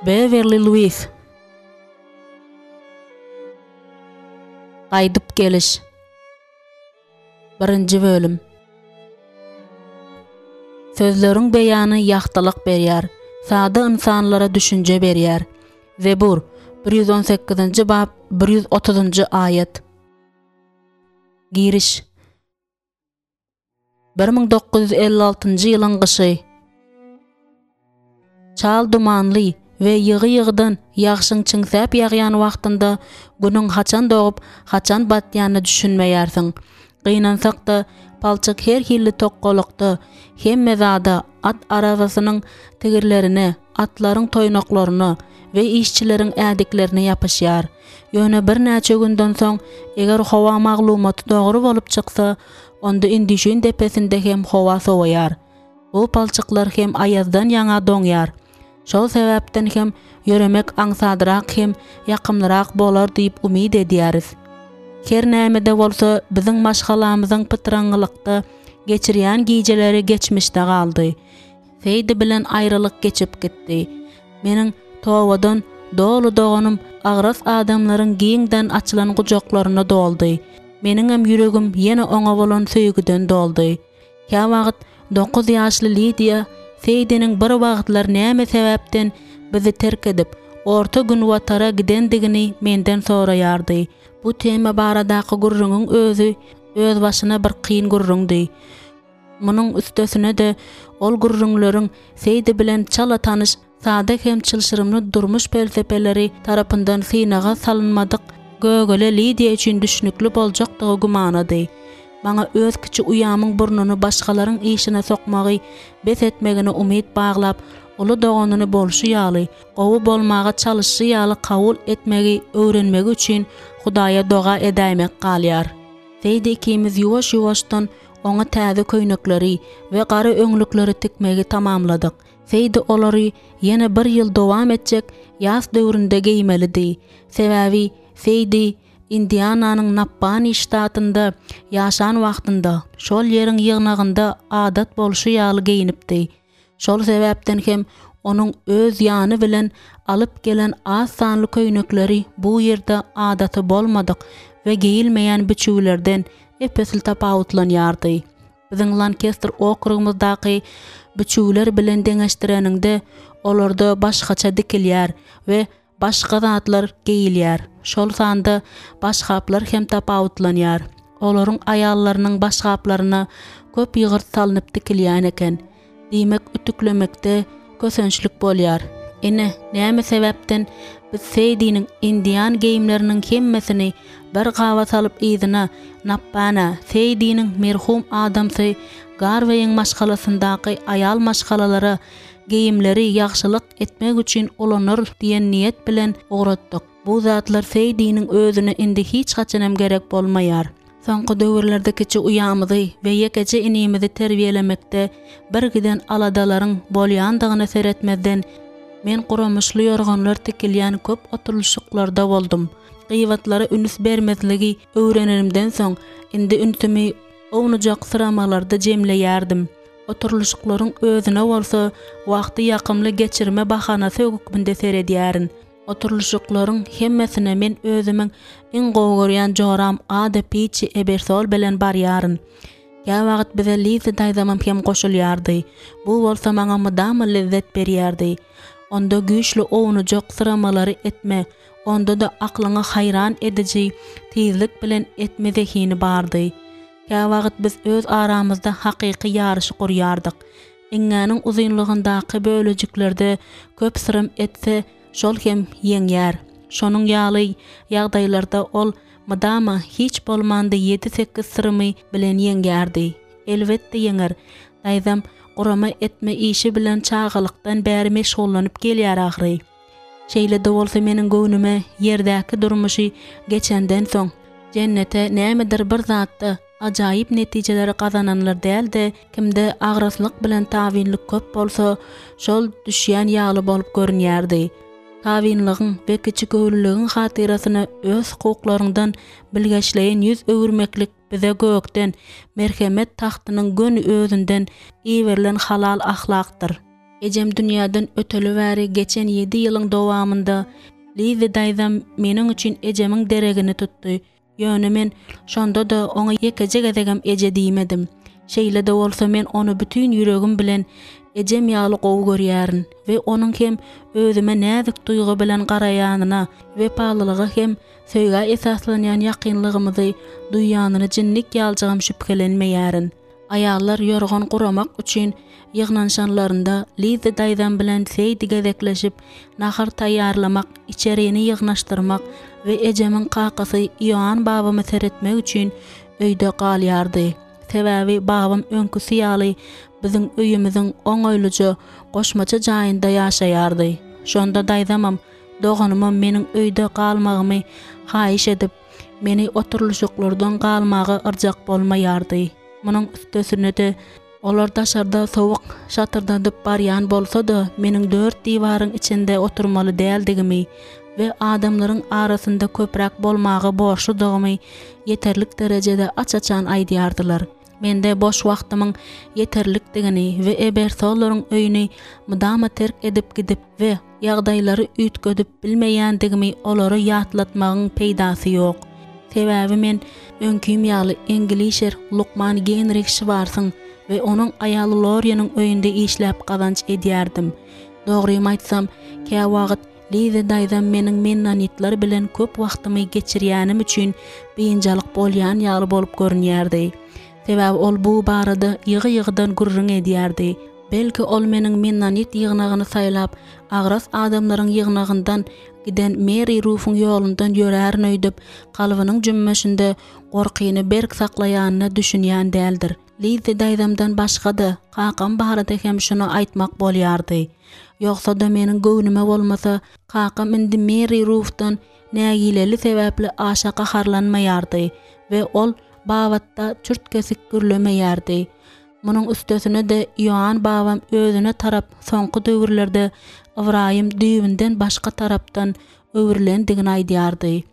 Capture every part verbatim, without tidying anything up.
Bewerli Luis. Gaýdyp geliş. Birinji bölüm. Sözleriň beýany ýagtylyk berýär, sada ynsanlara düşünje berýär. Zebur, bir ýüz on sekizinji bap, bir ýüz otuzynjy aýat. Giriş. Bir müň dokuz ýüz elli altynjy ýylyň gyşy. Çal dumanly we ýygy-ýygydan ýagşyň çiňsäp ýagýan wagtynda günüň haçan dogup, haçan batýanyna düşünmeýärsiň. Gynansak-da, palçyk her hili tokgalykda, hemme zada, at arabasynyň tigirlerine, atlaryň toýnaklaryna we işçileriň ädiklerine ýapyşýar. Ýöne birnäçe günden soň, eger howa maglumaty dogry bolup çyksa, onda Indişin depesinde hem howa sowaýar. Bu palçyklar hem aýazdan ýaňa doňýar. Şol sebäpden hem ýöremek aňsadrak hem ýakymlyrak bolar diýip umyt edýäris. Her näme-de bolsa, biziň maşgalamyzyň pytraňňylykda geçirýän gijeleri geçmişde galdy. Seýdi bilen aýralyk geçip gitdi. Meniň tobadan doly doganym agras adamlaryň giňden açylan gujaklaryna doldy. Meniňem ýüregim ýene oňa bolan söýgüden doldy. Käwagt dokuz ýaşly Lidiýa Seýdiniň bir wagtlar näme sebäpden bizi terk edip, Orta Günbatara gidendigini menden soraýardy. Bu tema baradaky gürrüňiň özi özbaşyna bir kyn gürrüňdi. Munuň üstesine-de, ol gürrüňleriň Seýdi bilen çala tanyş sada hem çylşyrymly durmuş pelsepeleri tarapyndan synaga salynmadyk gögele Lidiýa üçin düşnükli boljakdygy gümanady. Maňa öz kiçi uýamyň burnuny başgalaryň işine sokmagy bes etmegine umyt baglap, uly doganyny bolşy ýaly, gowy bolmaga çalyşy ýaly kabul etmegi öwrenmegi üçin Hudaýa doga edäýmek galýar. Seýdi ikimiz ýuwaş-ýuwaşdan oňa täze köýnekleri we gara öňlükleri tikmegi tamamladyk. Seýdi olary ýene bir ýyl dowam etjek ýas döwründe geýmelidi. Sebäbi Seýdi Indiananyň Nappani ştatynda ýaşan wagtynda şol ýeriň ýygnagynda adat bolşy ýaly geýnipdi. Şol sebäpden hem onuň öz ýany bilen alyp gelen az sanly köýnekleri bu ýerde adaty bolmadyk we geýilmeýän biçüwlerden ep-esli tapawutlanýardy. Biziň Lankester okrugymyzdaky biçüwler bilen deňeşdireniňde, olarda başgaça dikilýär we Başga zatlar geýilýär, şol sanda başgaplar hem tapawutlanýar. Olaryň aýallarynyň başgaplaryna köp ýygyrt salnyp tikilýän eken. Diýmek, ütüklemekde kösençlik bolýar. Ine, näme sebäpden biz Seýdiniň indian geýimleriniň hemmesini bir gaba salyp yzyna, Nappana, Seýdiniň merhum adamsy Garweýiň maşgalasyndaky aýal maşgalalara geýimleri ýagşylyk etmek üçin ulanarys diýen niýet bilen ugratdyk. Bu zatlar Seýdiniň özüne indi hiç haçanam gerek bolmaýar. Soňky döwürlerde kiçi uýamyzy we ýekeje inimizi terbiýelemekde birgiden aladalaryň bolýandygyna seretmezden, men guramyşly ýorganlar tikilýän köp oturylyşyklarda boldum. Gybatlara üns bermezligi öwrenenimden soň, indi ünsümi ownujak syramalarda jemleýärdim. Oturylyşyklaryň özüne bolsa wagty ýakymly geçirme bahanasy hökmünde seredýärin. Oturylyşyklaryň hemmesine men özümiň iň gowy görýän joram Ada Piçi Ebersol bilen barýaryn. Käwagt bize Liza daýzamam hem goşulýardy. Bu bolsa maňa mydama lezzet berýärdi. Onda güýçli ownujak syramalary etme, onda-da aklyňy haýran ediji tizlik bilen etme zehini bardy. Käwagt biz öz aramyzda hakyky ýaryşy gurýardyk. Iňňäniň uzynlygyndaky bölejiklerde köp syrym etse, şol hem ýeňýär. Şonuň ýaly ýagdaýlarda ol mydama hiç bolmanda ýedi-sekiz syrymy bilen ýeňýärdi. Elbetde ýeňer. Daýzam gurama etme işi bilen çagalykdan bäri meşgullanyp gelýär ahyry. Şeýle-de bolsa meniň göwnüme ýerdäki durmuşy geçenden soň, jennete nämedir bir zatda ajaýyp netijeleri gazananlar däl-de, kimde agraslyk bilen tabynlyk köp bolsa, şol düşýän ýaly bolup görünýärdi. Tabynlygyň we kiçigöwünliligiň hatyrasyna öz hukuklaryňdan bilgeşleýin ýüz öwürmeklik bize gökden, merhemet tagtynyň göni özünden iberilen halal ahlakdyr. Ejem dünýäden öteli bäri geçen ýedi ýylyň dowamynda Lizzi daýzam meniň üçin ejemiň deregini tutdy. Ýöne men şonda-da oňa ýekeje gezegem eje diýmedim. Şeýle-de bolsa men ony bütin ýüregim bilen ejem ýaly gowy görýärin we onuň hem özüme näzik duýgy bilen garaýanyna, wepalylyga hem söýgä esaslanýan ýakynlygymyzy duýýanyna jinnik ýaljagam şübhelenmeýärin. Aýallar ýorgan guramak üçin ýygnanyşanlarynda Lizzi daýzam bilen Seýdi gezekleşip nahar taýýarlamak, içerini ýygnaşdyrmak we ejemiň kakasy Ioann babama seretmek üçin öýde galýardy. Sebäbi babam öňküsi ýaly biziň öýümiziň oňaýlyja goşmaça jaýynda ýaşaýardy. Şonda daýzamam, doganymam meniň öýde galmagymy haýyş edip, meni oturylyşyklardan galmaga yrjak bolmaýardy. Munuň üstesine-de, olar daşarda sowuk şatyrdadyp barýan bolsa-da, meniň dört diwaryň içinde oturmaly däldigimi we adamlaryň arasynda köpräk bolmaga borçludygymy ýeterlik derejede aç-açan aýdýardylar. Mende boş wagtymyň ýeterlikdigini we Ebersollaryň öýüni mydama terk edip gidip we ýagdaýlary üýtgedip bilmeýändigimi olara ýatlatmagyň peýdasy ýok. Sebäbi men öňkim ýaly eňglişer lukman Genrih Şwarsyň we onuň aýaly Loriýanyň öýünde işläp gazanç edýärdim. Dogrymy aýtsam, käwagt Liza daýzam meniň mennonitler bilen köp wagtymy geçirýänim üçin biynjalyk bolýan ýaly bolup görünýärdi. Sebäbi ol bu barada ýygy-ýygydan gürrüň edýärdi. Belki ol meniň mennonit ýygnagyny saýlap, agras adamlaryň ýygnagyndan giden Meri Rufuň ýolundan ýörärin öýdüp, kalbynyň jümmüşinde gorkyny berk saklaýanyna düşünýän däldir. Lizzi daýzamdan başga-da, kakam barada hem şuny aýtmak bolýardy. Ýogsa-da meniň göwnüme bolmasa, kakam indi Meri Rufdan nägileli sebäpli aşa gaharlanmaýardy we ol babatda çürt-kesik gürlemeýärdi. Munuň üstesine-de Ioann babam özüne tarap soňky döwürlerde Ybraýym düýbünden başga tarapdan öwrülendigini aýdýardy.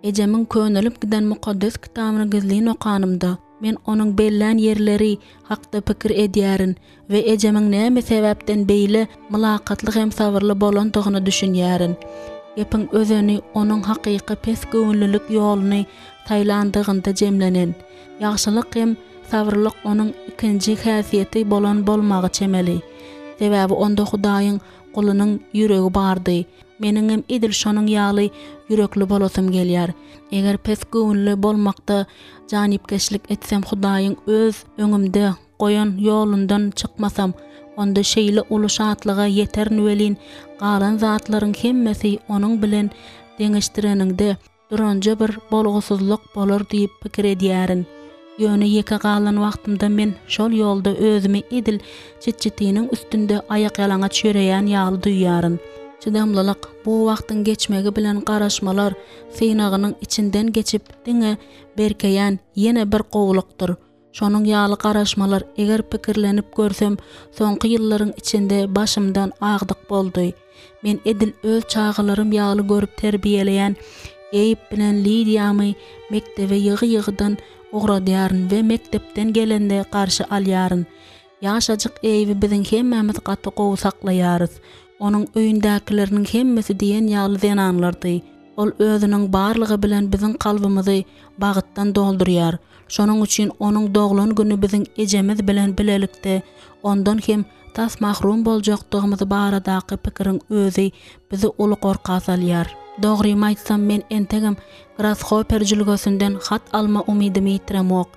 Ejemiň könelip giden Mukaddes Kitabyny gizlin okanymda, men onuň bellän ýerleri hakda pikir edýärin we ejemiň näme sebäpden beýle mylakatly hem sabyrly bolandygyna düşünýärin. Gepiň özeni onuň hakyky pes göwünlilik ýoluny saýlandygynda jemlenen. Ýagşylyk hem sabyrlyk onuň ikinji häsiýeti bolan bolmagy çemeli. Sebäbi onda Hudaýyň gulunyň ýüregi bardy. Meniňem edil şonuň ýaly ýürekli bolasym gelýär. Eger pes göwünli bolmakda janypkeşlik etsem Hudaýyň öz öňümde goýan ýolundan çykmasam, onda şeýle uly şatlyga ýeterin welin, galan zatlaryň hemmesi onuň bilen deňeşdireniňde duranja bir bolgusyzlyk bolar diýip pikir edýärin. Ýöne ýeke galan wagtymda men şol ýolda özümi edil çitçitiniň üstünde aýakýalaňaç ýöreýän ýaly duýýaryn. Çydamlylyk, bu wagtyň geçmegi bilen garaşmalar synagynyň içinden geçip diňe berkeýän ýene bir gowulykdyr. Şonuň ýaly garaşmalar, eger pikirlenip görsem, soňky ýyllaryň içinde başymdan agdyk boldy. Men edil öz çagalarym ýaly görüp terbiýeleýän Eýb bilen Lidiýamy mekdebe ýygy-ýygydan ugradýaryn we mekdepden gelende garşy alýaryn. Ýaşajyk Eýbi biziň hemmämiz gaty gowy saklaýarys. Onuň öýündäkileriniň hemmesi diýen ýaly zenanlardy. Ol özüniň barlygy bilen biziň kalbymyzy bagtdan doldurýar. Şonuň üçin onuň doglan güni biziň ejemiz bilen bilelikde ondan hem tas mahrum boljakdygymyz baradaky pikiriň özi bizi uly gorka salýar. Dogrymy aýtsam, men entegem Grashoper jülgesinden hat alma umydymy ýitiremok.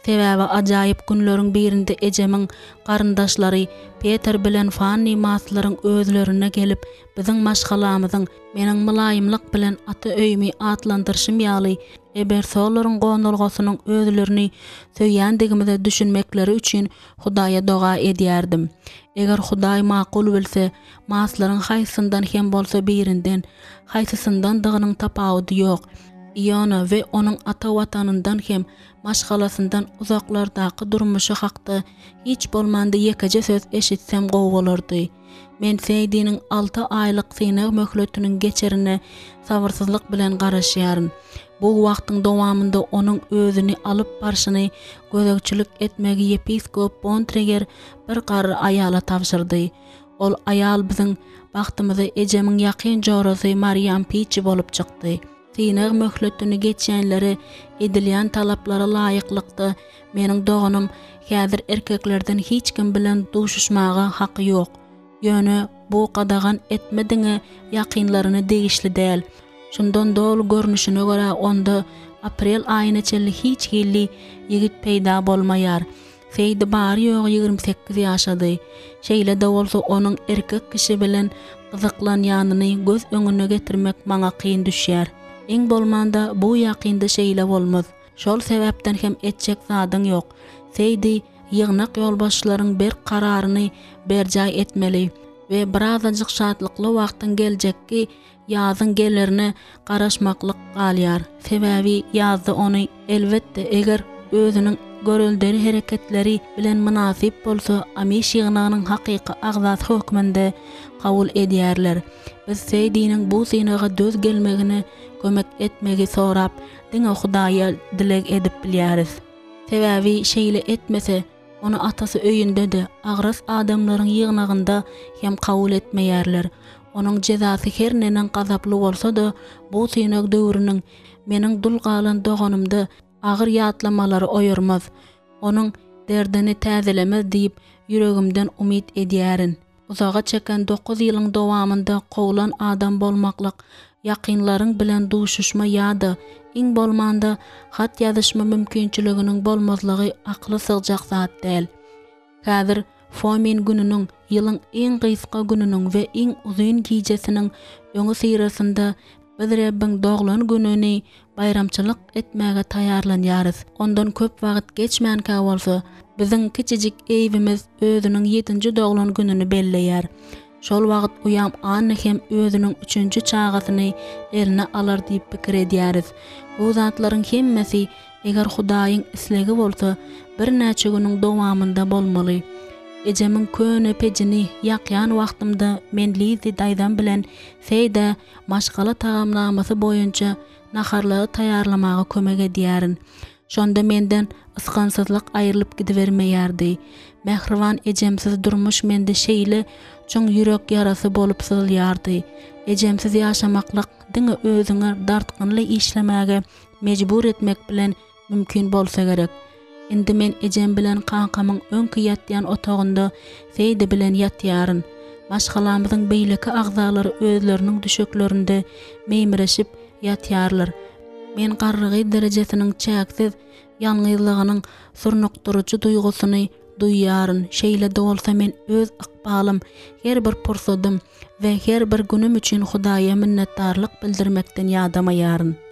Sebäbi ajaýyp günleriň birinde ejemiň garyndaşlary Peter bilen Fanni Maslaryň özlerine gelip, biziň maşgalamyzyň, meniň mylaýymlyk bilen ata öýümi atlandyryşym ýaly, Ebersolaryň gonalgasynyň özlerini söýýändigimize düşünmekleri üçin Hudaýa doga edýärdim. Eger Hudaý makul bilse, Maslaryň haýsysyndan hem bolsa birinden, haýsysyndandygynyň tapawudy ýok, Iona we onuň ata watanyndan hem maşgalasyndan uzaklardaky durmuşy hakda hiç bolmanda ýekeje söz eşitsem gowy bolardy. Men Seýdiniň alty aýlyk synag möhletiniň geçerine sabyrsyzlyk bilen garaşýaryn. Bu wagtyň dowamynda onuň özüni alyp barşyny gözegçilik etmegi ýepiskop Bontreger bir garry aýala tabşyrdy. Ol aýal biziň bagtymyza ejemiň ýakyn jorasy Mariam Piçi bolup çykdy. Synag möhletini geçýänlere edilýän talaplara laýyklykda meniň doganym häzir erkeklerden hiç kim bilen duşuşmaga haky ýok. Ýöne bu gadagan etme diňe ýakynlaryna degişli däl. Şundan doly görnüşine görä onda aprel aýyna çenli hiç hili ýigit peýda bolmaýar. Seýdi bary-ýogy ýigrimi sekiz ýaşady. Şeýle-de bolsa onuň erkek kişi bilen gyzyklanýanyny göz öňüne getirmek maňa kyn düşýär. Iň bolmanda bu ýakynda şeýle bolmaz. Şol sebäpden hem etjek zadyň ýok. Seýdi ýygnak ýolbaşçylaryň berk kararyny berjaý etmeli we birazajyk şatlykly wagtyň geljekki ýazyň gelerine garaşmaklyk galýar. Sebäbi ýazda ony, elbetde, eger özüniň göreldeli hereketleri bilen mynasyp bolsa, Amiş ýygnagynyň hakyky agzasy hökmünde kabul edýärler. Biz Seýdiniň bu synaga döz gelmegine kömek etmegi sorap, diňe Hudaýa dileg edip bilýäris. Sebäbi şeýle etmese, Ony atasy öýünde-de, agras adamlaryň ýygnagynda hem kabul etmeýärler. Onuň jezasy her neneň gazaply bolsa-da, bu synag döwrüniň meniň dul galan doganymda agyr ýatlamalary oýarmaz, onuň derdini täzelemez diýip ýüregimden umyt edýärin. Uzaga çeken dokuz ýylyň dowamynda kowlan adam bolmaklyk, ýakynlaryň bilen duşuşma ýa-da, iň bolmanda, hat ýazyşma mümkinçiliginiň bolmazlygy akyla sygjak zat däl. Häzir Fomin gününiň, ýylyň iň gysga gününiň we iň uzyn gijesiniň öňüsyrasynda biz Rebbiň doglan gününi baýramçylyk etmäge taýýarlanýarys. Ondan köp wagt geçmänkä bolsa, biziň kiçijik Eýwimiz özüniň ýedinji doglan gününi belleýär. Şol wagt uýam Anna hem özüniň üçünji çagasyny eline alar diýip pikir edýäris. Bu zatlaryň hemmesi, eger Hudaýyň islegi bolsa, birnäçe günüň dowamynda bolmaly. Ejemiň köne pejini ýakýan wagtymda men Lizzi daýzam bilen Seýdä maşgala tagamnamasy boýunça naharlary taýýarlamaga kömek edýärin. Şonda menden ysgynsyzlyk aýrylyp gidibermeýärdi. Mähriban ejemsiz durmuş mende şeýle çuň ýürek ýarasy bolup syzylýardy. Ejemsiz ýaşamaklyk diňe özüňi dartgynly işlemäge mejbur etmek bilen mümkin bolsa gerek. Indi men ejem bilen kakamyň öňki ýatýan otagynda Seýdi bilen ýatýaryn. Maşgalamyzyň beýleki agzalary özleriniň düşeklerinde meýmireşip ýatýarlar. Men garrygyz derejesiniň çäksiz ýalňyzlygynyň surnukdyryjy duýgusyny duýýaryn. Şeýle-de bolsa men öz ykbalym, her bir pursadym we her bir günüm üçin Hudaýa minnetdarlyk bildirmekden ýadamaýaryn.